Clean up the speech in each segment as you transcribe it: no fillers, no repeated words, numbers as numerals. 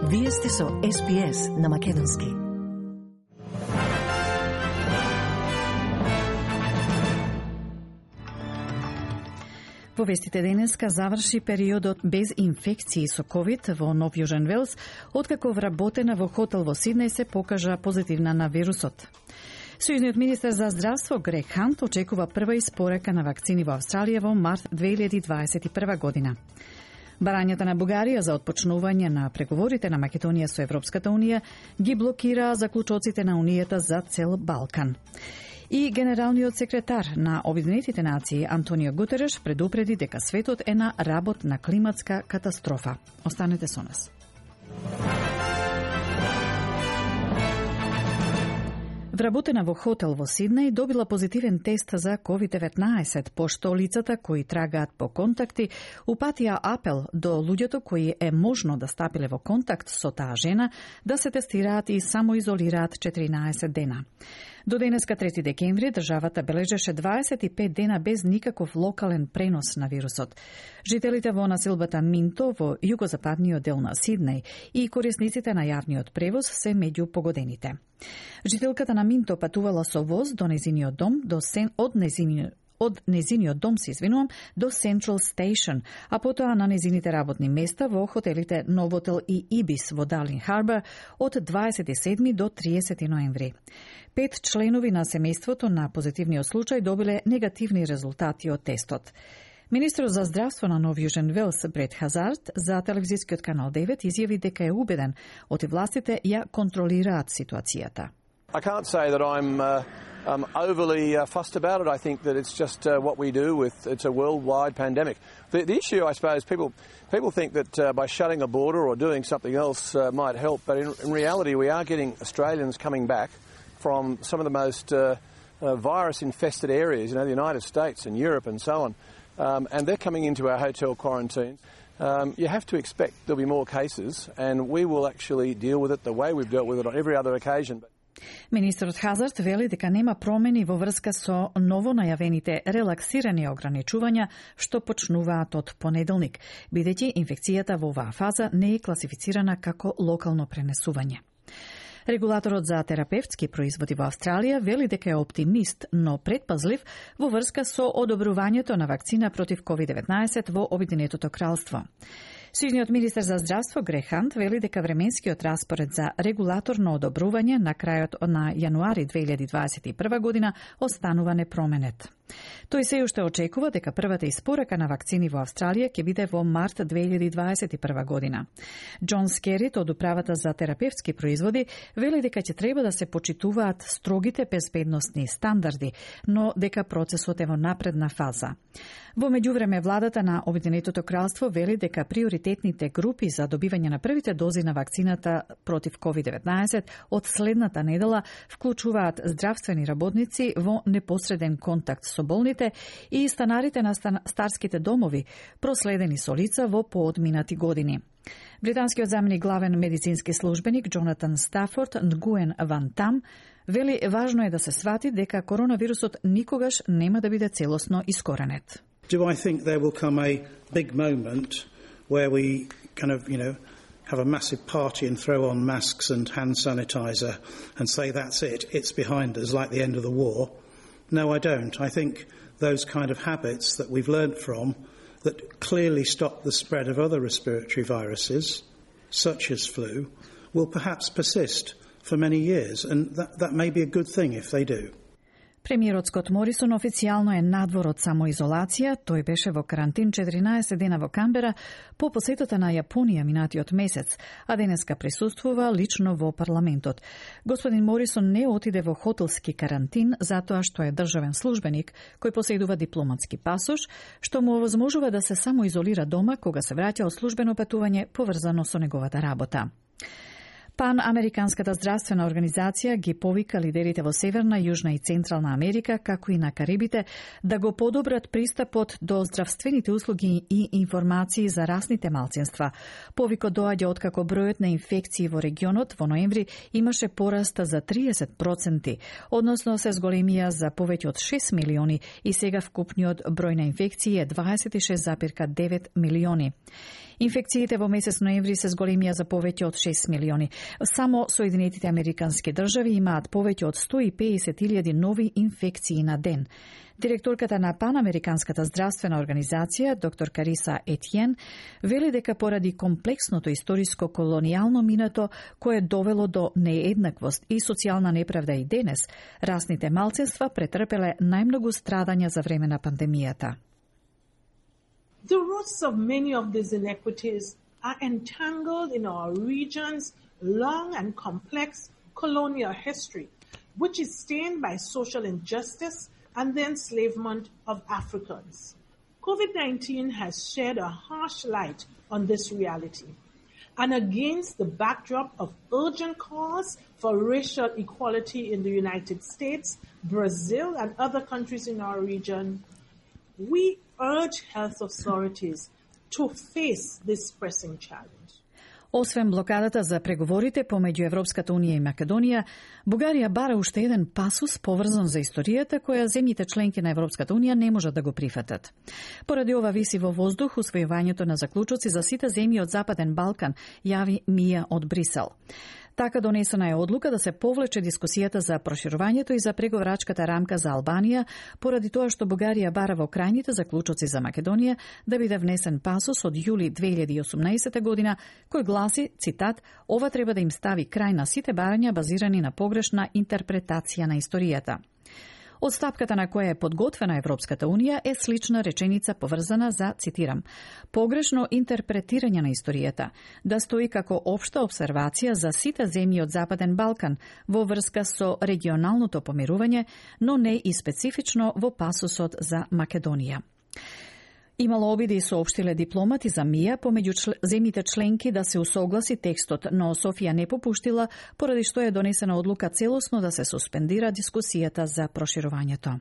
Вие сте со SPS на Македонски. Во вестите денеска заврши периодот без инфекции со COVID во Нов Јужен Велс, откако вработена во хотел во Сиднеј се покажа позитивна на вирусот. Сојузниот министер за здравство Грег Хант очекува прва испорака на вакцини во Австралија во март 2021 година. Барањата на Бугарија за отпочнување на преговорите на Македонија со Европската Унија ги блокира заклучоците на Унијата за цел Балкан. И генералниот секретар на Обединетите нации Антонио Гутереш предупреди дека светот е на работ на климатска катастрофа. Останете со нас. Вработена во хотел во Сиднеј добила позитивен тест за COVID-19, пошто лицата кои трагаат по контакти упатија апел до луѓето кои е можно да стапиле во контакт со таа жена да се тестираат и самоизолираат 14 дена. До денеска 3 декември државата бележеше 25 дена без никаков локален пренос на вирусот. Жителите во населбата Минто во југозападниот дел на Сиднеј и корисниците на јавниот превоз се меѓу погодените. Жителката на Минто патувала со воз до незиниот дом од незиниот дом до Central Station, а потоа на незините работни места во хотелите Новотел и Ибис во Дарлин Харбор од 27 до 30 ноември. 5 членови на семејството на позитивниот случај добиле негативни резултати од тестот. Министрот за здравство на Нов Јужен Велс Брет Хазард за телевизискиот канал 9 изјави дека е убеден оти властите ја контролираат ситуацијата. I can't say that I'm overly fussed about it. I think that it's just what we do it's a worldwide pandemic. The issue, I suppose, people think that by shutting a border or doing something else might help, but in reality we are getting Australians coming back from some of the most virus-infested areas, the United States and Europe and so on, and they're coming into our hotel quarantines. You have to expect there'll be more cases, and we will actually deal with it the way we've dealt with it on every other occasion. Министерот Хазард вели дека нема промени во врска со ново најавените релаксирани ограничувања што почнуваат од понеделник, бидејќи инфекцијата во оваа фаза не е класифицирана како локално пренесување. Регулаторот за терапевтски производи во Австралија вели дека е оптимист, но предпазлив во врска со одобрувањето на вакцина против COVID-19 во Обединетото кралство. Сојузниот министер за здравство Грег Хант вели дека временскиот распоред за регулаторно одобрување на крајот на јануари 2021 година останува непроменет. Тој се уште очекува дека првата испорака на вакцини во Австралија ќе биде во март 2021 година. Џон Скерит од управата за терапевтски производи вели дека ќе треба да се почитуваат строгите безбедносни стандарди, но дека процесот е во напредна фаза. Во меѓувреме владата на Обединетото кралство вели дека приоритетните групи за добивање на првите дози на вакцината против COVID-19 од следната недела вклучуваат здравствени работници во непосреден контакт со болните и станарите на старските домови, проследени со лица во поодминати години. Британскиот заменик главен медицински службеник Джонатан Стафорд Нгуен Ван Там вели важно е да се свати дека коронавирусот никогаш нема да биде целосно искоренет. Do I think there will come a big moment where we have a massive party and throw on masks and hand sanitizer and say that's it, it's behind us like the end of the war? No, I don't. I think those kind of habits that we've learnt from that clearly stop the spread of other respiratory viruses, such as flu, will perhaps persist for many years, and that may be a good thing if they do. Премиерот Скот Морисон официјално е надвор од самоизолација. Тој беше во карантин 14 дена во Камбера по посетата на Јапонија минатиот месец, а денеска присуствува лично во парламентот. Господин Морисон не отиде во хотелски карантин затоа што е државен службеник кој поседува дипломатски пасош, што му овозможува да се самоизолира дома кога се враќа од службено патување поврзано со неговата работа. Панамериканската здравствена организација ги повика лидерите во Северна, Јужна и Централна Америка, како и на Карибите, да го подобрат пристапот до здравствените услуги и информации за расните малцинства. Повикот доаѓа откако бројот на инфекции во регионот во ноември имаше пораст за 30%, односно се зголемија за повеќе од 6 милиони и сега вкупниот број на инфекции е 26,9 милиони. Инфекциите во месец ноември се зголемија за повеќе од 6 милиони. Само Соединетите Американски држави имаат повеќе од 150.000 нови инфекции на ден. Директорката на Панамериканската здравствена организација, доктор Кариса Етиен, вели дека поради комплексното историско колонијално минато кое довело до нееднаквост и социјална неправда и денес, расните малцинства претрпеле најмногу страдања за време на пандемијата. The roots of many of these inequities are entangled in our region's long and complex colonial history, which is stained by social injustice and the enslavement of Africans. COVID-19 has shed a harsh light on this reality. And against the backdrop of urgent calls for racial equality in the United States, Brazil, and other countries in our region, we urge health authorities to face this pressing challenge. Освен блокадата за преговорите помеѓу Европската унија и Македонија, Бугарија бара уште еден пасус поврзан за историјата која земјите членки на Европската унија не можат да го прифатат. Поради ова виси во воздух усвојувањето на заклучоци за сите земји од Западен Балкан, јави Мија од Брисел. Така донесена е одлука да се повлече дискусијата за проширувањето и за преговарачката рамка за Албанија, поради тоа што Бугарија бара во крајните заклучоци за Македонија да биде внесен пасус од јули 2018 година, кој гласи, цитат, ова треба да им стави крај на сите барања базирани на погрешна интерпретација на историјата. Од стапката на која е подготвена Европската унија е слична реченица поврзана за, цитирам, погрешно интерпретирање на историјата, да стои како општа обсервација за сите земји од Западен Балкан во врска со регионалното помирување, но не и специфично во пасусот за Македонија. Имало обиди, соопштиле дипломати за Мија помеѓу земјите членки да се усогласи текстот, но Софија не попуштила, поради што е донесена одлука целосно да се суспендира дискусијата за проширувањето.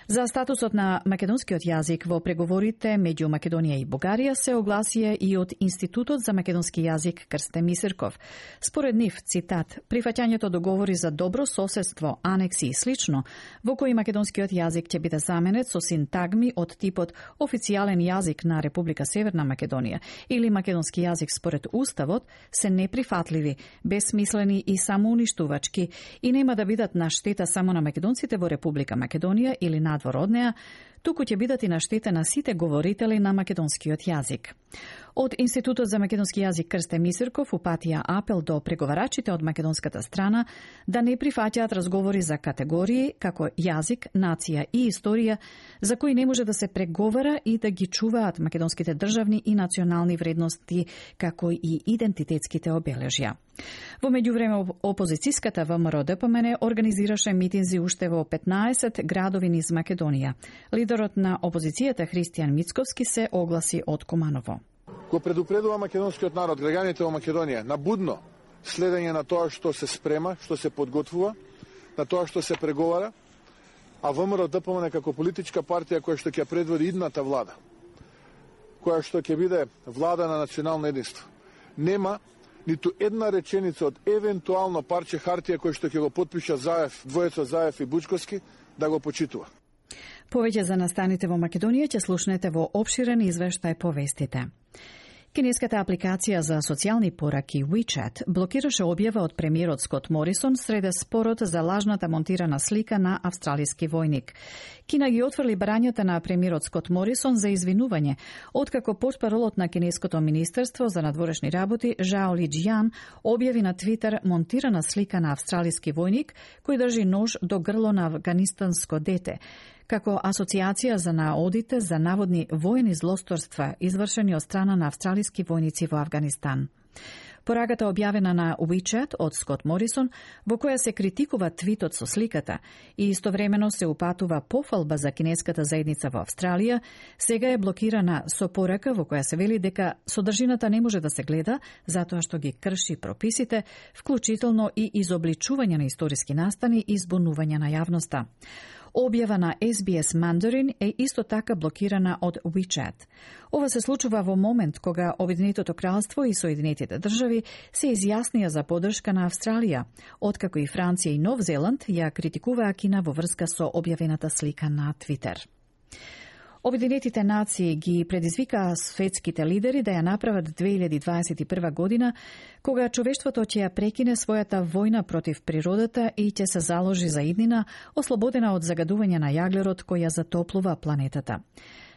За статусот на македонскиот јазик во преговорите меѓу Македонија и Бугарија се огласија и од Институтот за македонски јазик Крсте Мисирков. Според нив, цитат, прифаќањето договори за добро соседство, анекси и слично, во кои македонскиот јазик ќе биде заменет со синтагми од типот официјален јазик на Република Северна Македонија или македонски јазик според Уставот, се неприфатливи, безсмислени и самоуништувачки и нема да бидат на штета само на македонците во Република Македонија или надвор од неа, туку ќе бидат и на штета на сите говорители на македонскиот јазик. Од Институтот за македонски јазик Крсте Мисирков упатија апел до преговарачите од македонската страна да не прифаќаат разговори за категории како јазик, нација и историја за кои не може да се преговара и да ги чуваат македонските државни и национални вредности како и идентитетските обележја. Во меѓувреме опозицијската ВМРО-ДПМН организираше митинзи уште во 15 градови низ Македонија. Лидерот на опозицијата Христијан Мицковски се огласи од Куманово. Го предупредува македонскиот народ, граѓаните во Македонија, на будно следење на тоа што се спрема, што се подготвува, на тоа што се преговара, а ВМРО-ДПМН како политичка партија која што ќе предводи идната влада, која што ќе биде влада на национално единство, нема ниту една реченица од евентуално парче хартија кој што ќе го потпиша Заев, двојеца Заев и Бучковски, да го почитува. Повеќе за настаните во Македонија ќе слушнете во опширен извештај по вестите. Кинеската апликација за социјални пораки WeChat блокираше објава од премиерот Скот Морисон среде спорот за лажната монтирана слика на австралиски војник. Кина ги отфрли барањата на премиерот Скот Морисон за извинување, откако портпаролот на Кинеското министерство за надворешни работи Жао Лиџијан објави на Твитер монтирана слика на австралиски војник кој држи нож до грло на афганистанско дете, како асоциација за наодите за наводни воени злосторства извршени од страна на австралиски војници во Афганистан. Пораката објавена на WeChat од Скот Морисон, во која се критикува твитот со сликата и истовремено се упатува пофалба за кинеската заедница во Австралија, сега е блокирана со порака во која се вели дека содржината не може да се гледа затоа што ги крши прописите, вклучително и изобличување на историски настани и збунување на јавноста. Објава на SBS Mandarin е исто така блокирана од WeChat. Ова се случува во момент кога Обединетото кралство и Соединетите држави се изјаснија за поддршка на Австралија, откако и Франција и Нов Зеланд ја критикуваа Кина во врска со објавената слика на Твитер. Обединетите нации ги предизвикаа светските лидери да ја направат 2021 година, кога човештвото ќе ја прекине својата војна против природата и ќе се заложи за иднина ослободена од загадување на јаглерод кој ја затоплува планетата.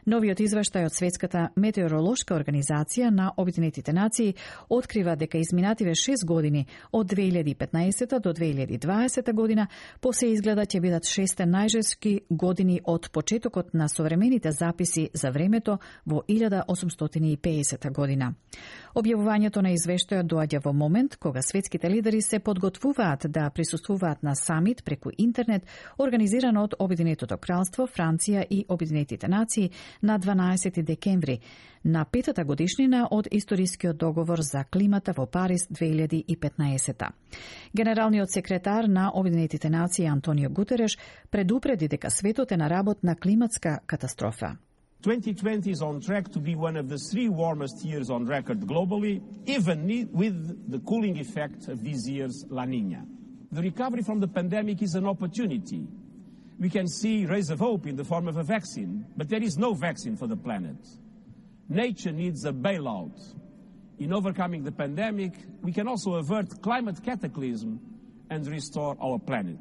Новиот извештај од Светската метеоролошка организација на Обединетите нации открива дека изминативе 6 години од 2015 до 2020 година посе изгледа ќе бидат 6 најжески години од почетокот на современите записи за времето во 1850 година. Објавувањето на извештајот доаѓа во момент кога светските лидери се подготвуваат да присуствуваат на самит преку интернет организиран од Обединетото кралство, Франција и Обединетите нации на 12 декември, на петата годишнина од историскиот договор за климата во Париз 2015. Генералниот секретар на Обединетите нации Антонио Гутереш предупреди дека светот е на работ на климатска катастрофа. 2020 is on track to be one of the 3 warmest years on record globally, even with the cooling effect of this year's La Niña. The recovery from the pandemic is an opportunity. We can see rays of hope in the form of a vaccine, but there is no vaccine for the planet. Nature needs a bailout. In overcoming the pandemic, we can also avert climate cataclysm and restore our planet.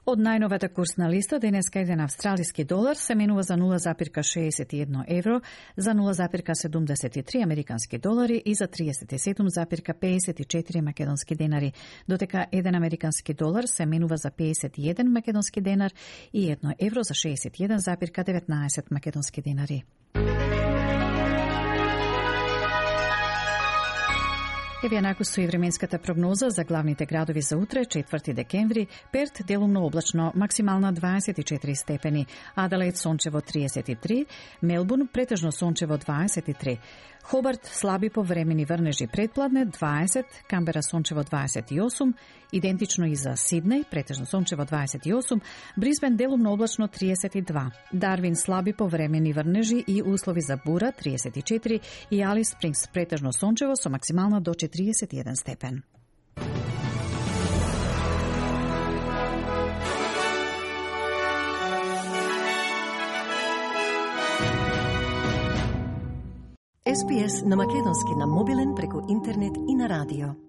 Од најновата курсна листа, денеска еден австралиски долар се менува за 0,61 евро, за 0,73 американски долари и за 37,54 македонски денари, дотека еден американски долар се менува за 51 македонски денар и 1 евро за 61,19 македонски денари. Еве накусу и временската прогноза за главните градови за утре, 4 декември. Перт делумно облачно, максимална 24 степени. Аделаид сончево 33, Мелбурн претежно сончево 23. Хобарт слаби повремени врнежи предпладне 20, Камбера сончево 28, идентично и за Сиднеј, претежно сончево 28, Брисбен делумно облачно 32, Дарвин слаби повремени врнежи и услови за бура 34 и Алис Спрингс претежно сончево со максимална до 41 степен. SPS на македонски на мобилен преку интернет и на радио.